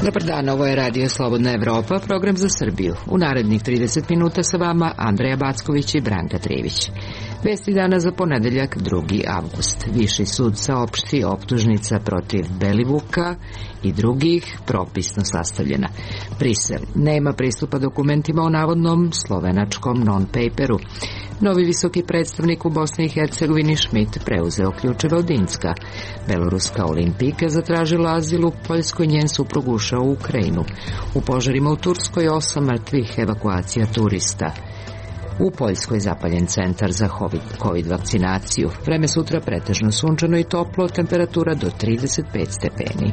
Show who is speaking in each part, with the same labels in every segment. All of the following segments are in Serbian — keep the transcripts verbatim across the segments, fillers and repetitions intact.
Speaker 1: Dobar dan, ovo je Radio Slobodna Evropa, program za Srbiju. U narednih trideset minuta sa vama Andreja Backović i Branka Trivić. Vesti dana za ponedeljak, drugi avgust. Viši sud saopšti optužnica protiv Belivuka i drugih propisno sastavljena. Brisel nema pristupa dokumentima o navodnom slovenačkom non-paperu. Novi visoki predstavnik u Bosni i Hercegovini Schmidt preuzeo ključeve od Inska. Beloruska olimpijka zatražila azil u Poljskoj, njen suprug ušao u Ukrajinu. U požarima u Turskoj osam mrtvih, evakuacija turista. U Poljskoj zapaljen centar za COVID vakcinaciju. Vreme sutra pretežno sunčano i toplo, temperatura do trideset pet stepeni.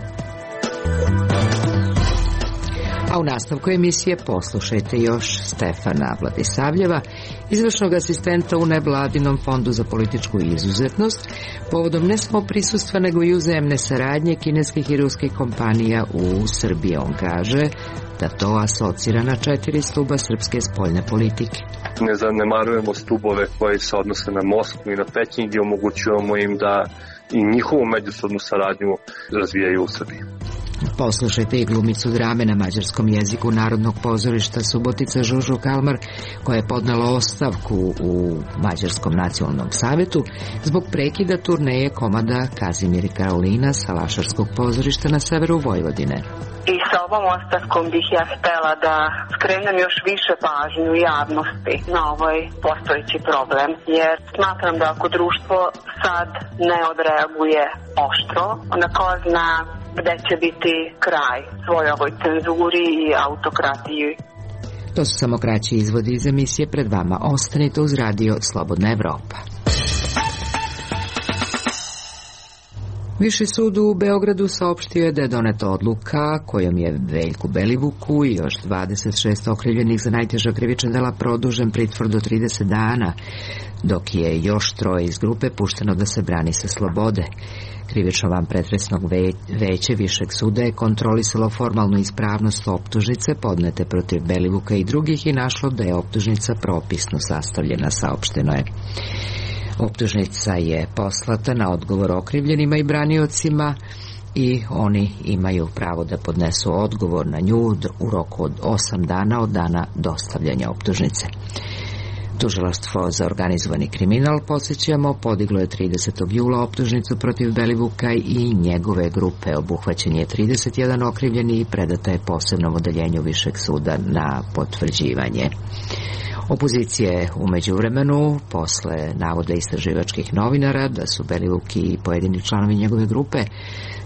Speaker 1: A u nastavku emisije poslušajte još Stefana Vladisavljeva, izvršnog asistenta u nevladinom fondu za političku izuzetnost, povodom ne samo prisustva nego i uzajamne saradnje kineskih i ruskih kompanija u Srbiji. On kaže da to asocira na četiri stuba srpske spoljne politike.
Speaker 2: Ne zanemarujemo stubove koji se odnose na Moskvu i na Peking i omogućujemo im da i njihovu međusobnu saradnju razvijaju u Srbiji.
Speaker 1: Poslušajte i glumicu drame na mađarskom jeziku Narodnog pozorišta Subotica Žužu Kalmar, koja je podnela ostavku u Mađarskom nacionalnom savetu zbog prekida turneje komada Kazimir i Karolina sa Lašarskog pozorišta na severu Vojvodine.
Speaker 3: I sa ovom ostavkom bih ja htela da skrenem još više pažnju javnosti na ovaj postojeći problem, jer smatram da ako društvo sad ne odreaguje oštro, onda ko zna gde će biti kraj svoj ovoj cenzuri i autokratiji.
Speaker 1: To su samo kraći izvodi iz emisije pred vama. Ostanite uz Radio Slobodna Evropa. Viši sud u Beogradu saopštio je da je doneta odluka kojom je Veljku Belivuku i još dvadeset šest okrivljenih za najteža krivična dela produžen pritvor do trideset dana, dok je još troje iz grupe pušteno da se brani sa slobode. Krivično vanpretresnog veće Višeg suda je kontrolisalo formalnu ispravnost optužnice podnete protiv Belivuka i drugih i našlo da je optužnica propisno sastavljena, saopšteno je. Optužnica je poslata na odgovor okrivljenima i braniocima i oni imaju pravo da podnesu odgovor na nju u roku od osam dana od dana dostavljanja optužnice. Tužilaštvo za organizovani kriminal, podsjećamo, podiglo je tridesetog jula optužnicu protiv Belivuka i njegove grupe. Obuhvaćen je trideset jedan okrivljeni i predata je posebnom odeljenju Višeg suda na potvrđivanje. Opozicija je u međuvremenu, posle navoda istraživačkih novinara da su Belivuk i pojedini članovi njegove grupe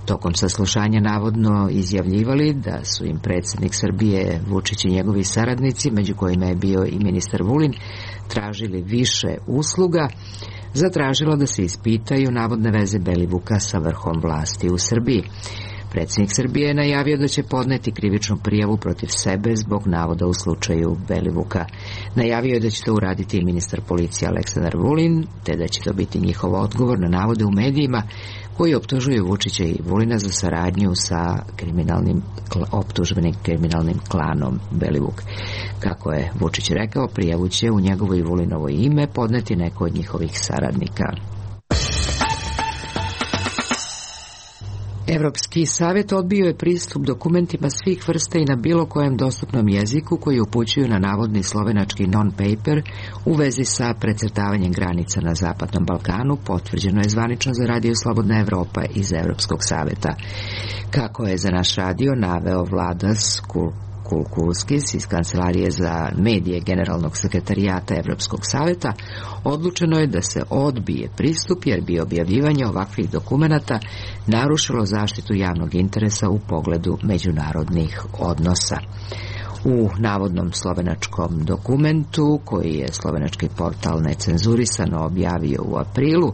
Speaker 1: tokom saslušanja navodno izjavljivali da su im predsjednik Srbije Vučić i njegovi saradnici, među kojima je bio i ministar Vulin, tražili više usluga, zatražilo da se ispitaju navodne veze Belivuka sa vrhom vlasti u Srbiji. Predsjednik Srbije je najavio da će podneti krivičnu prijavu protiv sebe zbog navoda u slučaju Belivuka. Najavio je da će to uraditi i ministar policije Aleksandar Vulin, te da će to biti njihov odgovor na navode u medijima koji optužuju Vučića i Vulina za saradnju sa kriminalnim, optužbenim kriminalnim klanom Belivuk. Kako je Vučić rekao, prijavu će u njegovo i Vulinovo ime podneti neko od njihovih saradnika. Evropski savjet odbio je pristup dokumentima svih vrsta i na bilo kojem dostupnom jeziku koji upućuju na navodni slovenački non-paper u vezi sa precrtavanjem granica na Zapadnom Balkanu, potvrđeno je zvanično za Radio Slobodna Evropa iz Evropskog savjeta. Kako je za naš radio naveo Vladas Kulkulskis iz Kancelarije za medije Generalnog sekretarijata Evropskog savjeta, odlučeno je da se odbije pristup jer bi objavljivanje ovakvih dokumenata narušilo zaštitu javnog interesa u pogledu međunarodnih odnosa. U navodnom slovenačkom dokumentu, koji je slovenački portal Necenzurisano objavio u aprilu,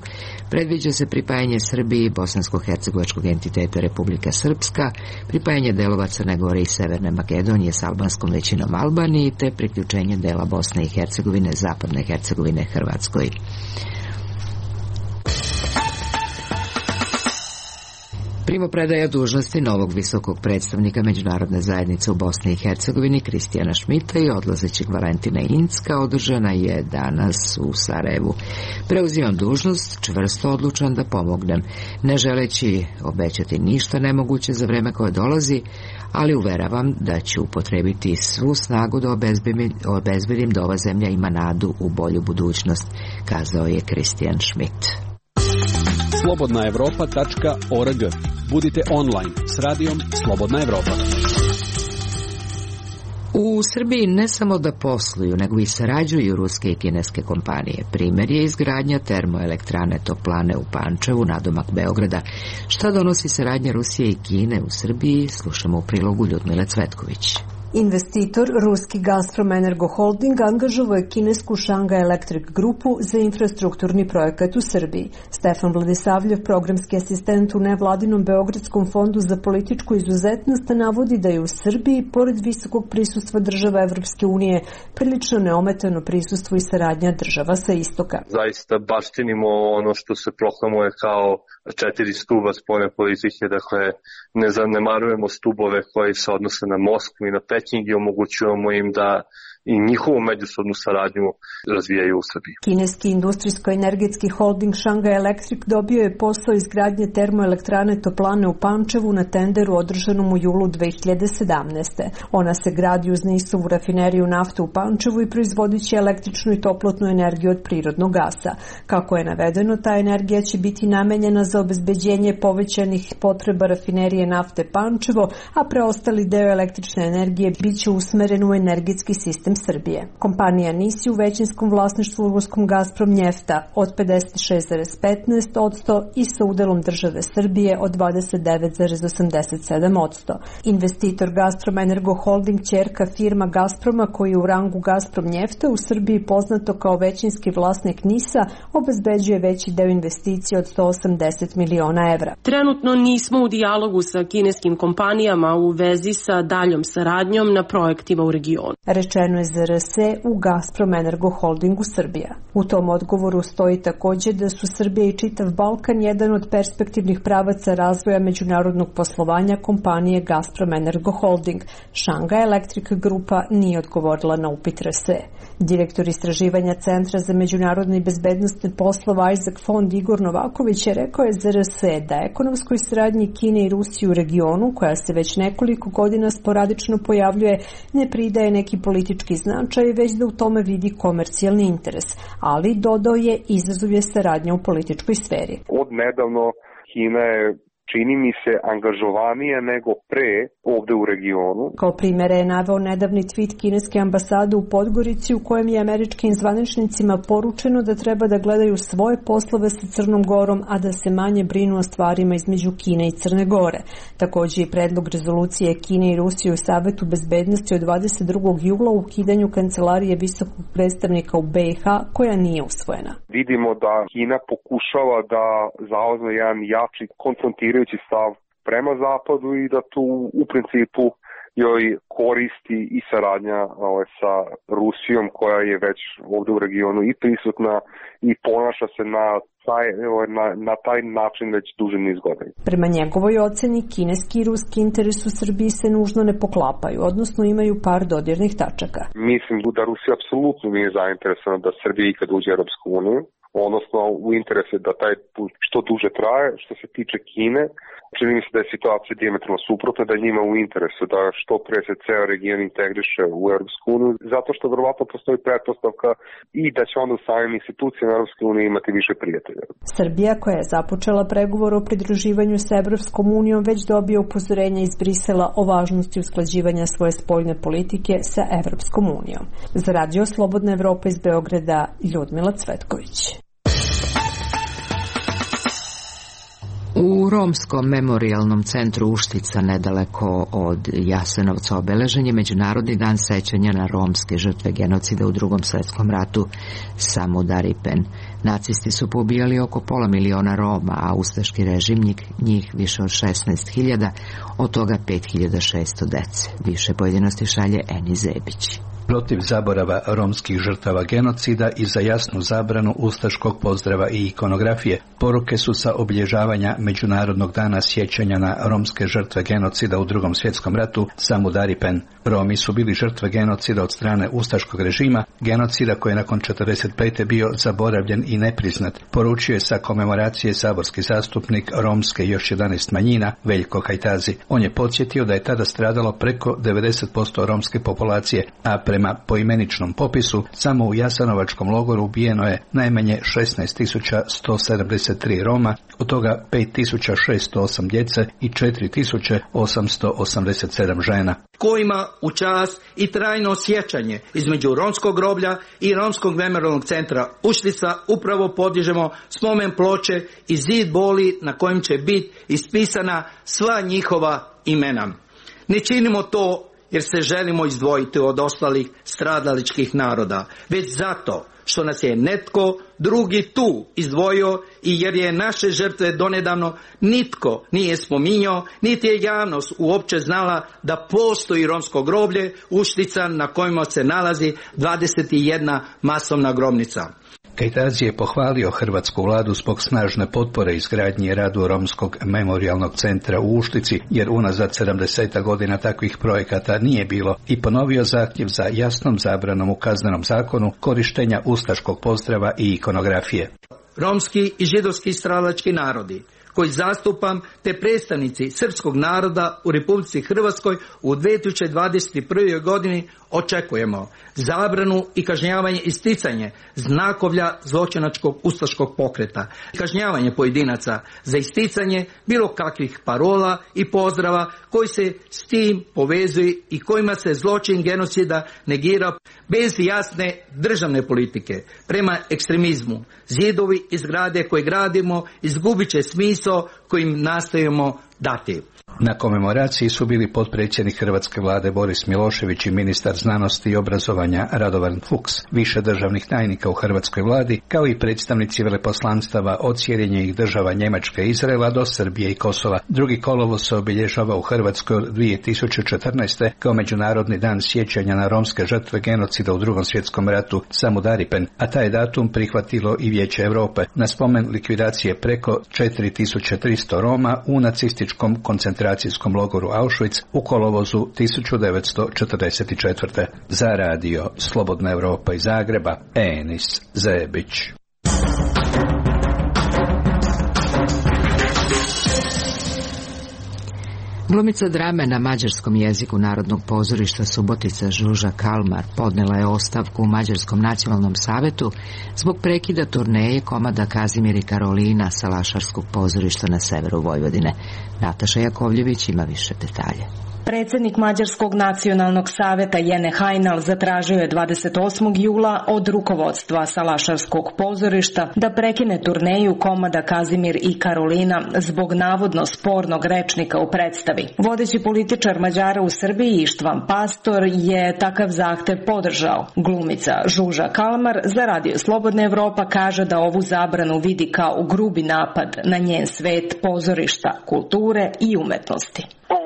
Speaker 1: predviđa se pripajanje Srbiji bosansko-hercegovačkog entiteta Republika Srpska, pripajanje delova Crne Gore i Severne Makedonije s albanskom većinom Albaniji, te priključenje dela Bosne i Hercegovine, Zapadne Hercegovine Hrvatskoj. Primopredaja dužnosti novog visokog predstavnika međunarodne zajednice u Bosni i Hercegovini Kristijana Šmita i odlazećeg Valentina Incka održana je danas u Sarajevu. Preuzimam dužnost, čvrsto odlučan da pomognem, ne želeći obećati ništa nemoguće za vreme koje dolazi, ali uveravam da ću upotrebiti svu snagu da obezbedim da ova zemlja ima nadu u bolju budućnost, kazao je Kristijan Šmit.
Speaker 4: slobodna evropa tačka org. Budite online s radijom Slobodna Evropa.
Speaker 1: U Srbiji ne samo da posluju, nego i sarađuju ruske i kineske kompanije. Primjer je izgradnja termoelektrane Toplane u Pančevu, nadomak Beograda. Šta donosi saradnja Rusije i Kine u Srbiji, slušamo u prilogu Ljudmile Cvetković.
Speaker 5: Investitor, ruski Gazprom Energo Holding, angažovao je kinesku Shanghai Electric grupu za infrastrukturni projekat u Srbiji. Stefan Vladisavljev, programski asistent u nevladinom Beogradskom fondu za političku izuzetnost, navodi da je u Srbiji, pored visokog prisustva država Evropske unije, prilično neometano prisustvo i saradnja država sa istoka.
Speaker 2: Zaista baštinimo ono što se proklamuje kao četiri stuba spoljne politike, dakle ne zanemarujemo stubove koji se odnose na Moskvu i na Peking i omogućujemo im da i njihovu međusobnu saradnju razvijaju u Srbiji.
Speaker 5: Kineski industrijsko-energetski holding Shanghai Electric dobio je posao izgradnje termoelektrane Toplane u Pančevu na tenderu održanom u julu dve hiljade sedamnaeste. Ona se gradi uz Nisovu rafineriju nafte u Pančevu i proizvodit će električnu i toplotnu energiju od prirodnog gasa. Kako je navedeno, ta energija će biti namenjena za obezbeđenje povećanih potreba rafinerije nafte Pančevo, a preostali deo električne energije biće usmeren u energetski sistem Srbije. Kompanija N I S je u većinskom vlasništvu ruskom Gazprom Njefta od pedeset šest zarez petnaest posto i sa udelom države Srbije od dvadeset devet zarez osamdeset sedam posto. Investitor Gazprom Energo Holding, ćerka firma Gazproma koji je u rangu Gazprom Njefta u Srbiji poznato kao većinski vlasnik N I S-a, obezbeđuje veći deo investicije od sto osamdeset miliona evra.
Speaker 6: Trenutno nismo u dijalogu sa kineskim kompanijama u vezi sa daljom saradnjom na projektima u regionu.
Speaker 5: Rečeno je Z R S u Gazprom Energo Holdingu Srbija. U tom odgovoru stoji također da su Srbija i čitav Balkan jedan od perspektivnih pravaca razvoja međunarodnog poslovanja kompanije Gazprom Energo Holding. Shanghai Electric grupa nije odgovorila na upit R S. Direktor istraživanja Centra za međunarodne i bezbednostne poslova Isaac Fond Igor Novaković je rekao je Z R S da ekonomskoj saradnji Kine i Rusije u regionu, koja se već nekoliko godina sporadično pojavljuje, ne pridaje neki politički značaj, već da u tome vidi komercijalni interes, ali dodao je izazov je saradnja u političkoj sferi.
Speaker 7: Od nedavno Kina je, čini mi se, angažovanije nego pre ovde u regionu.
Speaker 5: Kao primjere je naveo nedavni tweet kineske ambasade u Podgorici u kojem je američkim zvaničnicima poručeno da treba da gledaju svoje poslove sa Crnom Gorom, a da se manje brinu o stvarima između Kine i Crne Gore. Također i predlog rezolucije Kine i Rusije u Savetu bezbednosti od dvadeset drugog jula u ukidanju kancelarije visokog predstavnika u B i H koja nije usvojena.
Speaker 7: Vidimo da Kina pokušava da zauzme jedan jači konfrontirajući stav prema zapadu i da tu u principu joj koristi i saradnja ovaj, sa Rusijom koja je već ovdje u regionu i prisutna i ponaša se na taj, na, na taj način već duži niz godina.
Speaker 5: Prema njegovoj oceni, kineski i ruski interes u Srbiji se nužno ne poklapaju, odnosno imaju par dodirnih tačaka.
Speaker 7: Mislim da Rusija apsolutno nije zainteresovana da Srbija ikad uđe u Europsku uniju, odnosno u interesu da taj put što duže traje. Što se tiče Kine, čini mi se da je situacija dijametralno suprotna, da njima u interesu da što pre se ceo region integriše u Europsku uniju, zato što verovatno postoji pretpostavka i da će onda u samim institucijama Europske unije imati više prijatelja.
Speaker 5: Srbija, koja je započela pregovor o pridruživanju sa Evropskom unijom, već dobije upozorenja iz Brisela o važnosti usklađivanja svoje spoljne politike sa Evropskom unijom. Za Radio Slobodna Evropa iz Beograda, Ljudmila Cvetković.
Speaker 1: U Romskom memorijalnom centru Uštica, nedaleko od Jasenovca, obeležen je Međunarodni dan sećanja na romske žrtve genocida u Drugom svjetskom ratu Samudaripen. Nacisti su poubijali oko pola miliona Roma, a ustaški režim njih više od šesnaest hiljada, od toga pet hiljada šesto dece. Više pojedinosti šalje Eni Zebić.
Speaker 8: protiv zaborava romskih žrtava genocida i za jasnu zabranu ustaškog pozdrava i ikonografije. Poruke su sa obilježavanja Međunarodnog dana sjećanja na romske žrtve genocida u Drugom svjetskom ratu Samudaripen. Romi su bili žrtve genocida od strane ustaškog režima, genocida koji je nakon četrdeset pete bio zaboravljen i nepriznat, poručio je sa komemoracije saborski zastupnik romske i još jedanaest manjina Veljko Kajtazi. On je podsjetio da je tada stradalo preko devedeset posto romske populacije, a prema poimeničnom popisu samo u Jasenovačkom logoru ubijeno je najmanje šesnaest tisuća sto sedamdeset tri Roma, od toga pet tisuća šesto osam djece i četiri tisuće osamsto osamdeset sedam žena.
Speaker 9: Kojima u čast i trajno sjećanje između romskog groblja i romskog memorijalnog centra Uštica upravo podižemo spomen ploče i zid boli na kojem će biti ispisana sva njihova imena. Ne činimo to jer se želimo izdvojiti od ostalih stradaličkih naroda, već zato što nas je netko drugi tu izdvojio i jer je naše žrtve donedavno nitko nije spominjao, niti je javnost uopće znala da postoji romsko groblje Uštica na kojima se nalazi dvadeset jedna masovna grobnica.
Speaker 8: Kajtazi je pohvalio hrvatsku vladu zbog snažne potpore izgradnji i radu Romskog memorijalnog centra u Uštici, jer unazad sedamdeset godina takvih projekata nije bilo, i ponovio zahtjev za jasnom zabranom u Kaznenom zakonu korištenja ustaškog pozdrava i ikonografije.
Speaker 9: Romski i židovski stradalački narodi koji zastupam, te predstavnici srpskog naroda u Republici Hrvatskoj u dvije tisuće dvadeset prve. godini očekujemo zabranu i kažnjavanje isticanje znakovlja zločinačkog ustaškog pokreta, kažnjavanje pojedinaca za isticanje bilo kakvih parola i pozdrava koji se s tim povezuju i kojima se zločin genocida negira bez jasne državne politike prema ekstremizmu. Zidovi i zgrade koje gradimo izgubit će smisao kojim nastojimo dati.
Speaker 8: Na komemoraciji su bili potpredsjednik hrvatske vlade Boris Milošević i ministar znanosti i obrazovanja Radovan Fuchs, više državnih tajnika u hrvatskoj vladi, kao i predstavnici veleposlanstava od Sjedinjenih država Njemačke i Izraela do Srbije i Kosova. Drugi kolovoz se obilježava u Hrvatskoj od dvije tisuće četrnaeste. kao Međunarodni dan sjećanja na romske žrtve genocida u Drugom svjetskom ratu Samudaripen, a taj datum prihvatilo i Vijeće Europe na spomen likvidacije preko četiri tisuće tristo Roma u nacističkom koncentracijskom logoru Auschwitz u kolovozu tisuću devetsto četrdeset četvrte. Za radio Slobodna Evropa iz Zagreba, Enis Zebić.
Speaker 1: Glumica drame na mađarskom jeziku Narodnog pozorišta Subotica Žuža Kalmar podnela je ostavku u Mađarskom nacionalnom savetu zbog prekida turneje komada Kazimir i Karolina Salašarskog pozorišta na severu Vojvodine. Nataša Jakovljević ima više detalje.
Speaker 10: Predsjednik Mađarskog nacionalnog saveta Jene Hajnal zatražio je dvadeset osmog jula od rukovodstva Salašarskog pozorišta da prekine turneju komada Kazimir i Karolina zbog navodno spornog rečnika u predstavi. Vodeći političar Mađara u Srbiji Ištvan Pastor je takav zahtev podržao. Glumica Žuža Kalmar za radio Slobodna Evropa kaže da ovu zabranu vidi kao grubi napad na njen svet pozorišta, kulture i umetnosti.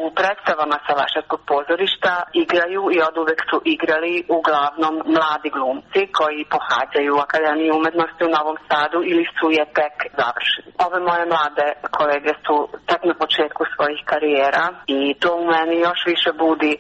Speaker 3: U predstavama Salašarskog pozorišta igraju i oduvek su igrali uglavnom mladi glumci koji pohađaju Akademiju umetnosti u Novom Sadu ili su je tek završili. Ove moje mlade kolege su tek na početku svojih karijera i to u meni još više budi e,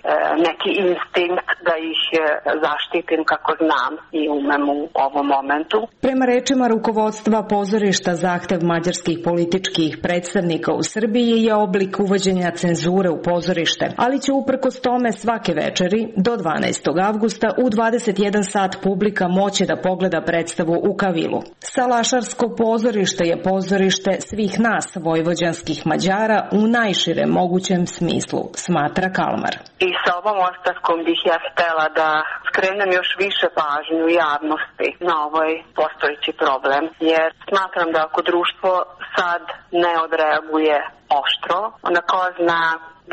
Speaker 3: neki instinkt da ih e, zaštitim kako znam i umem u ovom momentu.
Speaker 10: Prema rečima rukovodstva pozorišta, zahtev mađarskih političkih predstavnika u Srbiji je oblik uvođenja cenzure u pozorište, ali će uprkos tome svake večeri do dvanaestog avgusta u dvadeset jedan sat publika moći da pogleda predstavu u Kavilu. Salašarsko pozorište je pozorište svih nas vojvođanskih Mađara u najširem mogućem smislu, smatra Kalmar.
Speaker 3: I sa ovom ostavkom bih ja htela da skrenem još više pažnju javnosti na ovaj postojeći problem, jer smatram da ako društvo sad ne odreaguje oštro, onda ko zna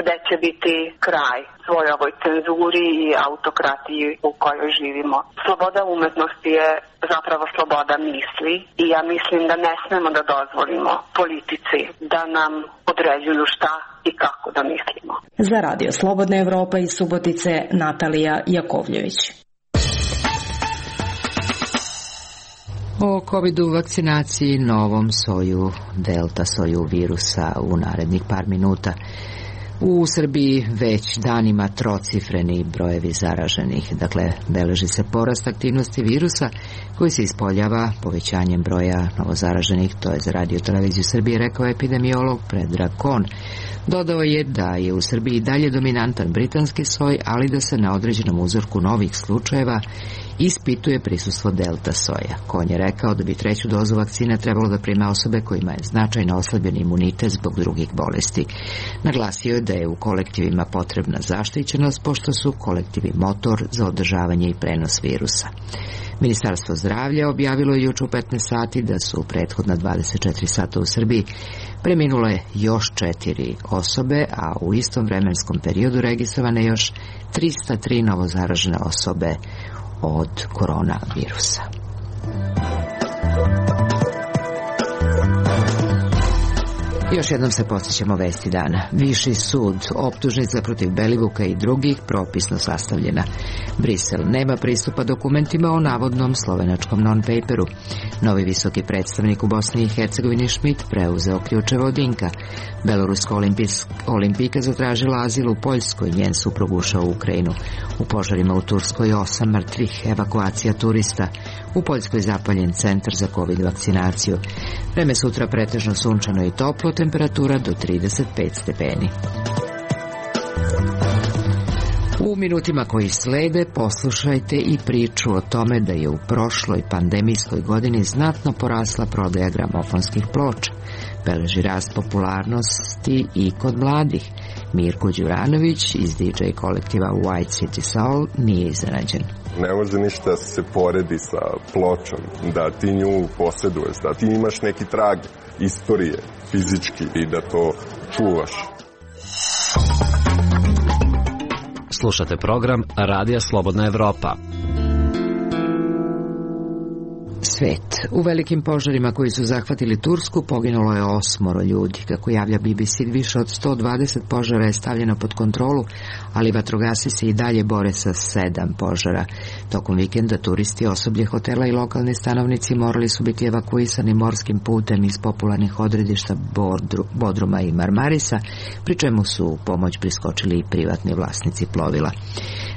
Speaker 3: gde će biti kraj svoj ovoj cenzuri i autokratiji u kojoj živimo. Sloboda umetnosti je zapravo sloboda misli i ja mislim da ne smemo da dozvolimo politici da nam određuju šta i kako da mislimo.
Speaker 10: Za radio Slobodna Evropa iz Subotice, Natalija Jakovljević.
Speaker 1: O covidu, vakcinaciji, novom soju, delta soju virusa u narednih par minuta. U Srbiji već danima trocifreni brojevi zaraženih, dakle beleži se porast aktivnosti virusa koji se ispoljava povećanjem broja novozaraženih, to je za Radio Televiziju Srbije rekao epidemiolog Predrag Kon. Dodao je da je u Srbiji dalje dominantan britanski soj, ali da se na određenom uzorku novih slučajeva ispituje prisustvo delta soja. Kon je rekao da bi treću dozu vakcine trebalo da prime osobe kojima je značajno oslabljen imunitet zbog drugih bolesti. Naglasio je da je u kolektivima potrebna zaštićenost, pošto su kolektivi motor za održavanje i prenos virusa. Ministarstvo zdravlja objavilo je juče u petnaest sati da su u prethodna dvadeset četiri sata u Srbiji preminule još četiri osobe, a u istom vremenskom periodu registrovane još trista tri novozaražene osobe od koronavirusa. Još jednom se podsjećamo vesti dana. Viši sud, optužnica protiv Belivuka i drugih propisno sastavljena. Brisel nema pristupa dokumentima o navodnom slovenačkom non-paperu. Novi visoki predstavnik u Bosni i Hercegovini Schmidt preuzeo ključeve od Dinka. Beloruska olimpijka zatražila azil u Poljskoj, njen suprug ušao u Ukrajinu. U požarima u Turskoj osam mrtvih, evakuacija turista. U Poljskoj zapaljen centar za covid vakcinaciju. Vreme sutra pretežno sunčano i toplo, temperatura do trideset pet stepeni. U minutima koji slede poslušajte i priču o tome da je u prošloj pandemijskoj godini znatno porasla prodaja gramofonskih ploča. Beleži rast popularnosti i kod mladih. Mirko Đuranović iz D J kolektiva White City Soul nije iznenađen.
Speaker 11: Ne može ništa da se poredi sa pločom, da ti nju posjeduješ, da ti imaš neki trag istorije fizički i da to čuvaš.
Speaker 12: Slušate program Radija Slobodna Evropa.
Speaker 1: Svet. U velikim požarima koji su zahvatili Tursku poginulo je osmoro ljudi. Kako javlja B B C, više od sto dvadeset požara je stavljeno pod kontrolu, ali vatrogasci se i dalje bore sa sedam požara. Tokom vikenda turisti, osoblje hotela i lokalni stanovnici morali su biti evakuisani morskim putem iz popularnih odredišta Bodruma i Marmarisa, pri čemu su u pomoć priskočili i privatni vlasnici plovila.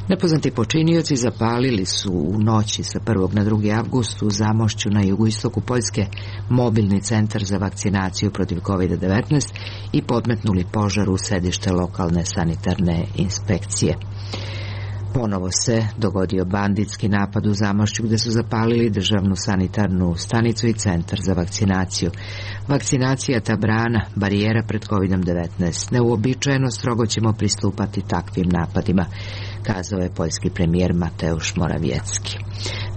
Speaker 1: Nepoznati počinioci zapalili su u noći sa prvog na drugi avgust u Zamošću na jugoistoku Poljske mobilni centar za vakcinaciju protiv kovid devetnaest i podmetnuli požar u sedište lokalne sanitarne inspekcije. Ponovo se dogodio banditski napad u Zamošću gde su zapalili državnu sanitarnu stanicu i centar za vakcinaciju. Vakcinacija ta brana, barijera pred kovid devetnaest. Neuobičajeno strogo ćemo pristupati takvim napadima, kazao je poljski premijer Mateusz Morawiecki.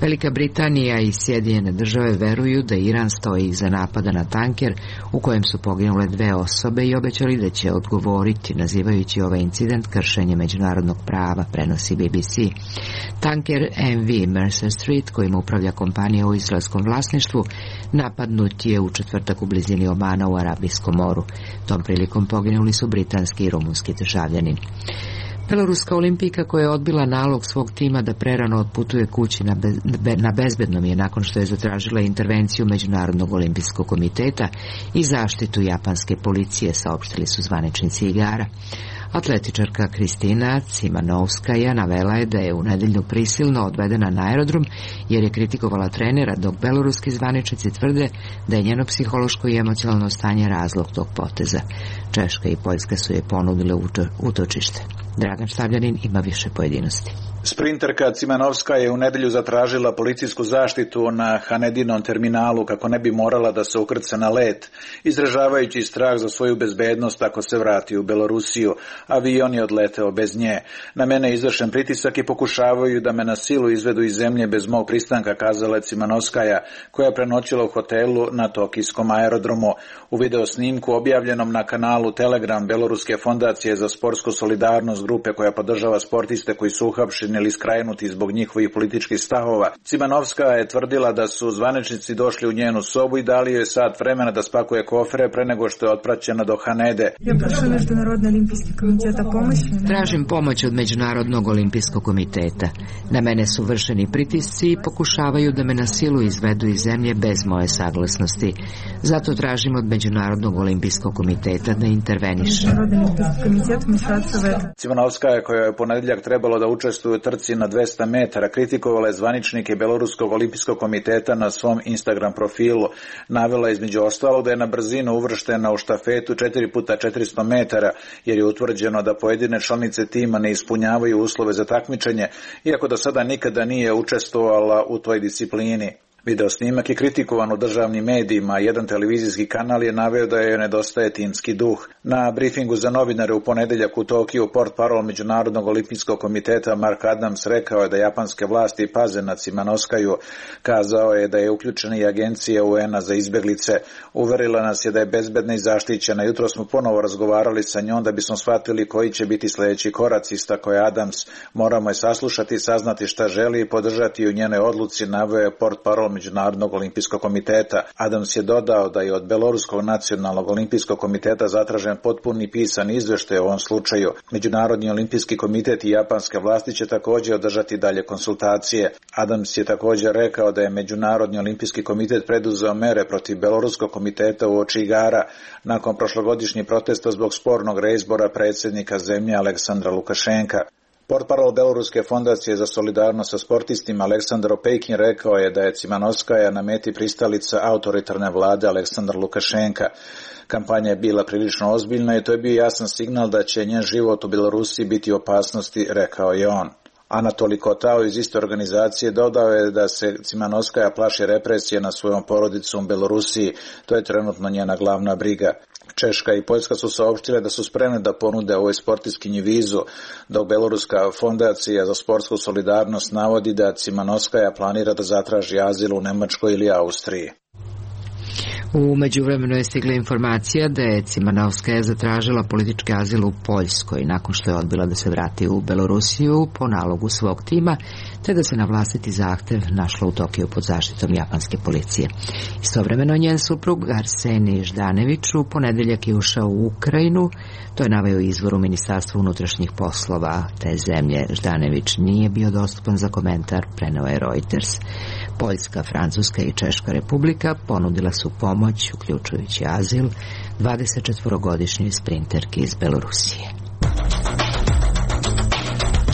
Speaker 1: Velika Britanija i Sjedinjene države veruju da Iran stoji iza napada na tanker u kojem su poginule dve osobe i obećali da će odgovoriti, nazivajući ovaj incident kršenje međunarodnog prava, prenosi B B C. Tanker M V Mercer Street, kojim upravlja kompanija u izraelskom vlasništvu, napadnut je u četvrtak u blizini Omana u Arabijskom moru. Tom prilikom poginuli su britanski i rumunski državljanin. Beloruska olimpijka koja je odbila nalog svog tima da prerano otputuje kući na, bez, na bezbednom je nakon što je zatražila intervenciju Međunarodnog olimpijskog komiteta i zaštitu japanske policije, saopštili su zvaničnici igara. Atletičarka Kristina Cimanovskaja navela je da je u nedeljnu prisilno odvedena na aerodrom jer je kritikovala trenera, dok beloruski zvaničnici tvrde da je njeno psihološko i emocionalno stanje razlog tog poteza. Češka i Poljska su je ponudile utočište. Dragan Štavljanin ima više pojedinosti.
Speaker 13: Sprinterka Cimanovska je u nedelju zatražila policijsku zaštitu na Hanedinom terminalu kako ne bi morala da se ukrca na let, izražavajući strah za svoju bezbednost ako se vrati u Belorusiju. Avion je odleteo bez nje. Na mene je izvršen pritisak i pokušavaju da me na silu izvedu iz zemlje bez mog pristanka, kazala je Cimanovskaja, koja je prenoćila u hotelu na Tokijskom aerodromu. U video snimku objavljenom na kanalu Telegram Beloruske fondacije za sportsku solidarnost, grupe koja podržava sportiste koji su uhapšeni osuđeni ili skrajnuti zbog njihovih političkih stavova. Cimanovska je tvrdila da su zvaničnici došli u njenu sobu i dali joj sat vremena da spakuje kofere pre nego što je otpraćena do Hanede.
Speaker 1: Tražim pomoć od Međunarodnog olimpijskog komiteta. Na mene su vršeni pritisci i pokušavaju da me na silu izvedu iz zemlje bez moje saglasnosti. Zato tražim od Međunarodnog olimpijskog komiteta da interveniše.
Speaker 13: Cimanovska je, koja je ponedjeljak trebalo da učestvuje u trci na dvesta metara, kritikovala je zvaničnike Beloruskog olimpijskog komiteta na svom Instagram profilu. Navela između ostalog da je na brzinu uvrštena u štafetu četiri puta četiristo metara, jer je utvrđeno da pojedine članice tima ne ispunjavaju uslove za takmičenje, iako do sada nikada nije učestvovala u toj disciplini. Video snimak je kritikovan u državnim medijima, jedan televizijski kanal je naveo da joj nedostaje timski duh. Na brifingu za novinare u ponedeljak u Tokiju portparol Međunarodnog olimpijskog komiteta Mark Adams rekao je da japanske vlasti paze na Cimanovskaju. Kazao je da je uključena i agencija U N-a za izbeglice. Uverila nas je da je bezbedna i zaštićena. Jutro smo ponovo razgovarali sa njom da bismo shvatili koji će biti sljedeći koraci, istakao je Adams. Moramo je saslušati, saznati šta želi i podržati u njenoj odluci, naveo je portparol Međunarodnog olimpijskog komiteta. Adams je dodao da je od Beloruskog nacionalnog olimpijskog komiteta zatražen potpuni pisan izveštaj o ovom slučaju. Međunarodni olimpijski komitet i japanske vlasti će također održati dalje konsultacije. Adams je također rekao da je Međunarodni olimpijski komitet preduzeo mere protiv Beloruskog komiteta uoči igara nakon prošlogodišnjih protesta zbog spornog reizbora predsjednika zemlje Aleksandra Lukašenka. Portparol Beloruske fondacije za solidarnost sa sportistima Aleksandar Opejkin rekao je da je Cimanovskaja na meti pristalica autoritarne vlade Aleksandra Lukašenka. Kampanja je bila prilično ozbiljna i to je bio jasan signal da će njen život u Belorusiji biti u opasnosti, rekao je on. Anatoli Kotao iz iste organizacije dodao je da se Cimanovskaja plaši represije na svojom porodicom u Belorusiji. To je trenutno njena glavna briga. Češka i Poljska su saopštile da su spremne da ponude ovoj sportistkinji vizu, dok Beloruska fondacija za sportsku solidarnost navodi da Cimanovskaja planira da zatraži azil u Nemačkoj ili Austriji.
Speaker 1: U međuvremenu je stigla informacija da je Cimanovskaja zatražila politički azil u Poljskoj nakon što je odbila da se vrati u Belorusiju po nalogu svog tima, te da se na vlastiti zahtev našla u Tokiju pod zaštitom japanske policije. Istovremeno njen suprug Arsenij Ždanević u ponedeljak je ušao u Ukrajinu, to je naveo izvor u Ministarstvu unutrašnjih poslova te zemlje. Ždanević nije bio dostupan za komentar, preneo je Reuters. Poljska, Francuska i Češka republika ponudila su pomoć, uključujući azil, dvadesetčetvorogodišnjoj sprinterki iz Belorusije.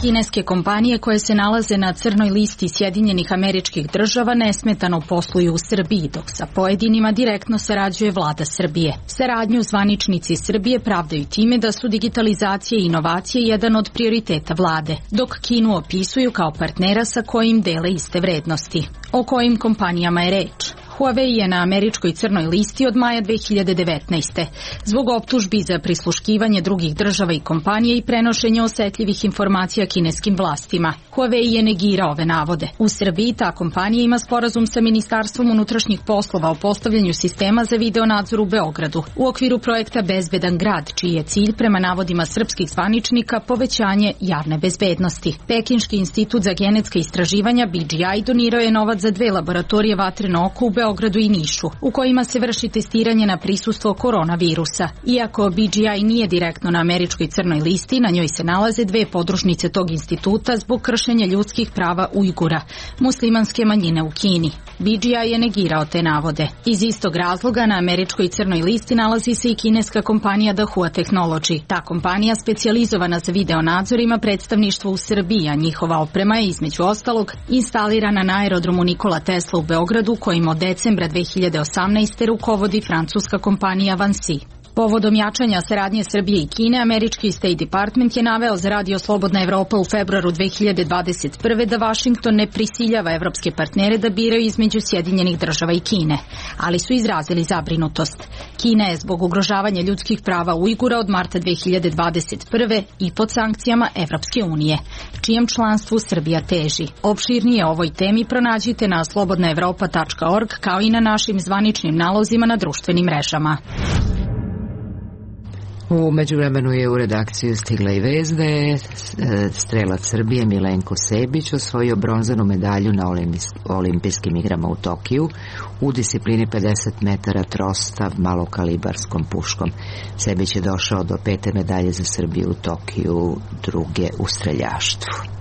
Speaker 14: Kineske kompanije koje se nalaze na crnoj listi Sjedinjenih Američkih Država nesmetano posluju u Srbiji, dok sa pojedinima direktno sarađuje vlada Srbije. Saradnju zvaničnici Srbije pravdaju time da su digitalizacija i inovacije jedan od prioriteta vlade, dok Kinu opisuju kao partnera sa kojim dele iste vrednosti. O kojim kompanijama je reč? Huawei je na američkoj crnoj listi od maja dve hiljade devetnaeste. Zbog optužbi za prisluškivanje drugih država i kompanija i prenošenje osetljivih informacija kineskim vlastima. Huawei je negirao ove navode. U Srbiji ta kompanija ima sporazum sa Ministarstvom unutrašnjih poslova o postavljanju sistema za videonadzor u Beogradu u okviru projekta Bezbedan grad, čiji je cilj prema navodima srpskih zvaničnika povećanje javne bezbednosti. Pekinški institut za genetska istraživanja B G I donirao je novac za dve laboratorije vatreno oko u Beogradu i Nišu, u kojima se vrši testiranje na prisustvo koronavirusa. Iako B G I nije direktno na američkoj crnoj listi, na njoj se nalaze dve podružnice tog instituta zbog kršenja ljudskih prava Ujgura, muslimanske manjine u Kini. B G I je negirao te navode. Iz istog razloga na američkoj crnoj listi nalazi se i kineska kompanija Dahua Technology. Ta kompanija, specijalizovana za video nadzor, ima predstavništvo u Srbiji, a njihova oprema je između ostalog instalirana na aerodromu Nikola Tesla u Beogradu, kojim od decembra dve hiljade osamnaeste rukovodi francuska kompanija Vansi. Povodom jačanja saradnje Srbije i Kine, američki State Department je naveo za Radio Slobodna Evropa u februaru dve hiljade dvadeset prve da Vašington ne prisiljava evropske partnere da biraju između Sjedinjenih Država i Kine, ali su izrazili zabrinutost. Kina je zbog ugrožavanja ljudskih prava Ujgura od marta dve hiljade dvadeset prve i pod sankcijama Evropske unije, čijem članstvu Srbija teži. Opširnije o ovoj temi pronađite na slobodna evropa tačka org kao i na našim zvaničnim nalozima na društvenim mrežama.
Speaker 1: U međuvremenu je u redakciju stigla i vest da je strelac Srbije Milenko Sebić osvojio bronzanu medalju na olimpijskim igrama u Tokiju u disciplini pedeset metara trosta malokalibarskom puškom. Sebić je došao do pete medalje za Srbiju u Tokiju, druge u streljaštvu.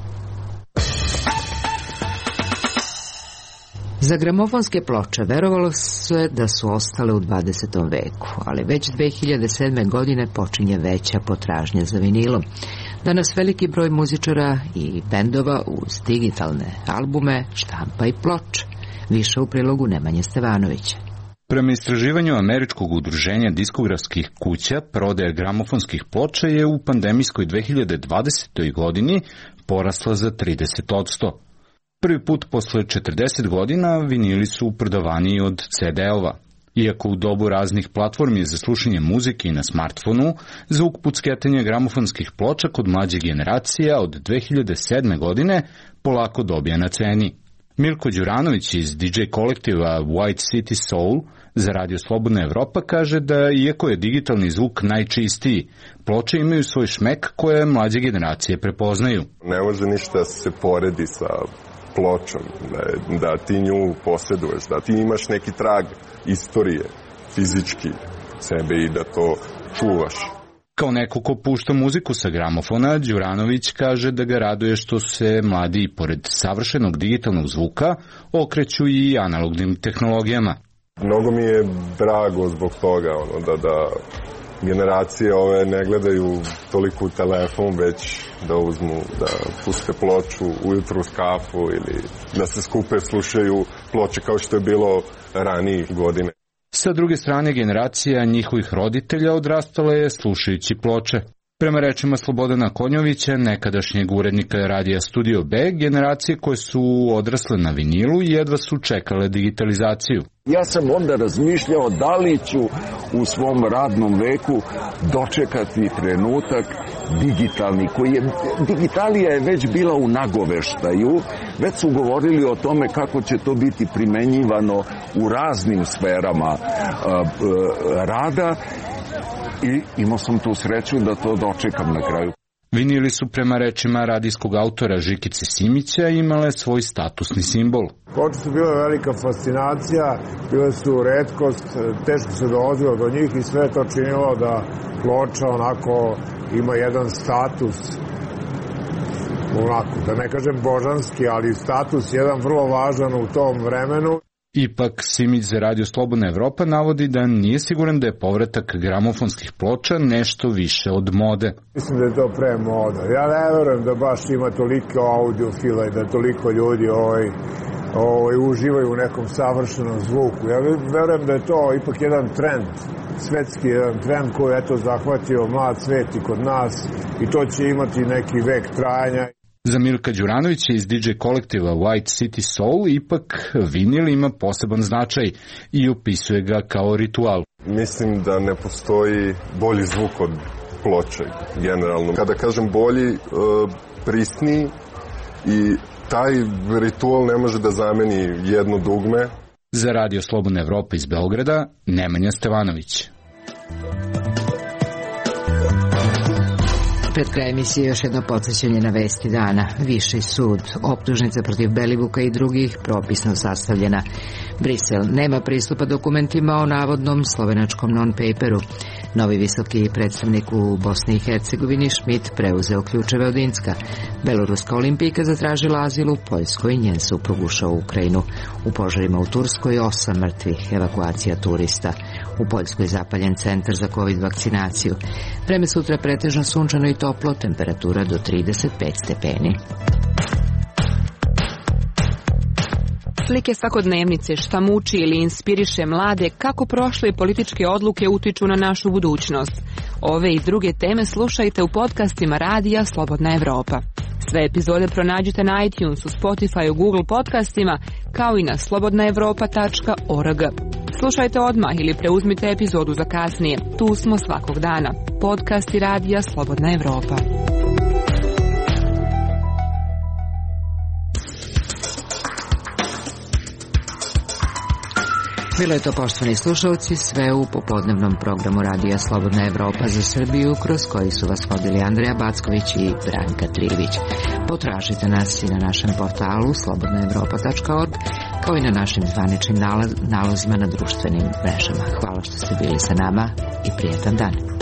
Speaker 1: Za gramofonske ploče verovalo se da su ostale u dvadesetom veku, ali već dve hiljade sedme. godine počinje veća potražnja za vinilom. Danas veliki broj muzičara i bendova uz digitalne albume štampa i ploče. Više u prilogu Nemanje Stevanovića.
Speaker 15: Prema istraživanju američkog udruženja diskografskih kuća, prodaja gramofonskih ploča je u pandemijskoj dve hiljade dvadesetoj. godini porasla za trideset posto. Prvi put posle četrdeset godina vinili su prodavaniji od ce de-ova. Iako u dobu raznih platformi za slušanje muzike i na smartfonu, zvuk pucketanja gramofonskih ploča kod mlađe generacije od dve hiljade sedme. godine polako dobija na ceni. Milko Đuranović iz di džej kolektiva White City Soul za Radio Slobodna Evropa kaže da iako je digitalni zvuk najčistiji, ploče imaju svoj šmek koje mlađe generacije prepoznaju.
Speaker 11: Ne može ništa se poredi sa pločom, da, da ti nju posjeduješ, da ti imaš neki trag istorije, fizički sebe i da to čuvaš.
Speaker 15: Kao neko ko pušta muziku sa gramofona, Đuranović kaže da ga raduje što se mladi, pored savršenog digitalnog zvuka, okreću i analognim tehnologijama.
Speaker 11: Mnogo mi je drago zbog toga, ono, da, da generacije ove ne gledaju toliko u telefon, već da uzmu, da puste ploču ujutru uz kafu ili da se skupe slušaju ploče kao što je bilo ranije godine.
Speaker 15: Sa druge strane, generacija njihovih roditelja odrastala je slušajući ploče. Prema rečima Slobodana Konjovića, nekadašnjeg urednika radija Studio B, generacije koje su odrasle na vinilu jedva su čekale digitalizaciju.
Speaker 16: Ja sam onda razmišljao da li ću u svom radnom veku dočekati trenutak digitalni, koji je, digitalija je već bila u nagoveštaju, već su govorili o tome kako će to biti primenjivano u raznim sferama a, a, rada i imao sam tu sreću da to dočekam na kraju.
Speaker 15: Vinili su prema rečima radijskog autora Žikice Simića imale svoj statusni simbol.
Speaker 17: Ploče su bile velika fascinacija, bile su retkost, teško se dolazilo do njih i sve to činilo da ploča onako ima jedan status, onako, da ne kažem božanski, ali status jedan vrlo važan u tom vremenu.
Speaker 15: Ipak Simić za Radio Slobodna Evropa navodi da nije siguran da je povratak gramofonskih ploča nešto više od mode.
Speaker 17: Mislim da je to pre moda. Ja ne verujem da baš ima toliko audiofila i da toliko ljudi ovaj, ovaj, uživaju u nekom savršenom zvuku. Ja verujem da je to ipak jedan trend, svetski jedan trend koji je eto zahvatio mlad svet i kod nas i to će imati neki vek trajanja.
Speaker 15: Za Milka Đuranovića iz di džej kolektiva White City Soul ipak vinil ima poseban značaj i opisuje ga kao ritual.
Speaker 11: Mislim da ne postoji bolji zvuk od ploče, generalno. Kada kažem bolji, prisniji i taj ritual ne može da zameni jedno dugme.
Speaker 15: Za Radio Slobodna Evropa iz Beograda, Nemanja Stevanović.
Speaker 1: Pred kraj emisije još jedno podsjećanje na vesti dana. Viši sud, optužnica protiv Belivuka i drugih propisno sastavljena. Brisel nema pristupa dokumentima o navodnom slovenačkom non-paperu. Novi visoki predstavnik u Bosni i Hercegovini Schmidt preuzeo ključeve od Incka. Beloruska olimpijka zatražila azil u Poljskoj i njen suprug ušao u Ukrajinu. U požarima u Turskoj osam mrtvih, evakuacija turista. U Poljskoj zapaljen centar za covid vakcinaciju. Vreme sutra pretežno sunčano i toplo, temperatura do trideset pet stepeni.
Speaker 18: Slike svakodnevnice, šta muči ili inspiriše mlade, kako prošle političke odluke utiču na našu budućnost. Ove i druge teme slušajte u podcastima Radija Slobodna Evropa. Sve epizode pronađite na iTunesu, Spotify, Google podcastima, kao i na slobodna evropa tačka org. Slušajte odmah ili preuzmite epizodu za kasnije. Tu smo svakog dana. Podcasti Radija Slobodna Evropa.
Speaker 1: Bilo je to, poštovani slušalci, sve u popodnevnom programu Radija Slobodna Evropa za Srbiju, kroz koji su vas vodili Andreja Backović i Branka Trivić. Potražite nas i na našem portalu slobodna evropa tačka org, kao i na našim zvaničnim nalazima na društvenim mrežama. Hvala što ste bili sa nama i prijetan dan.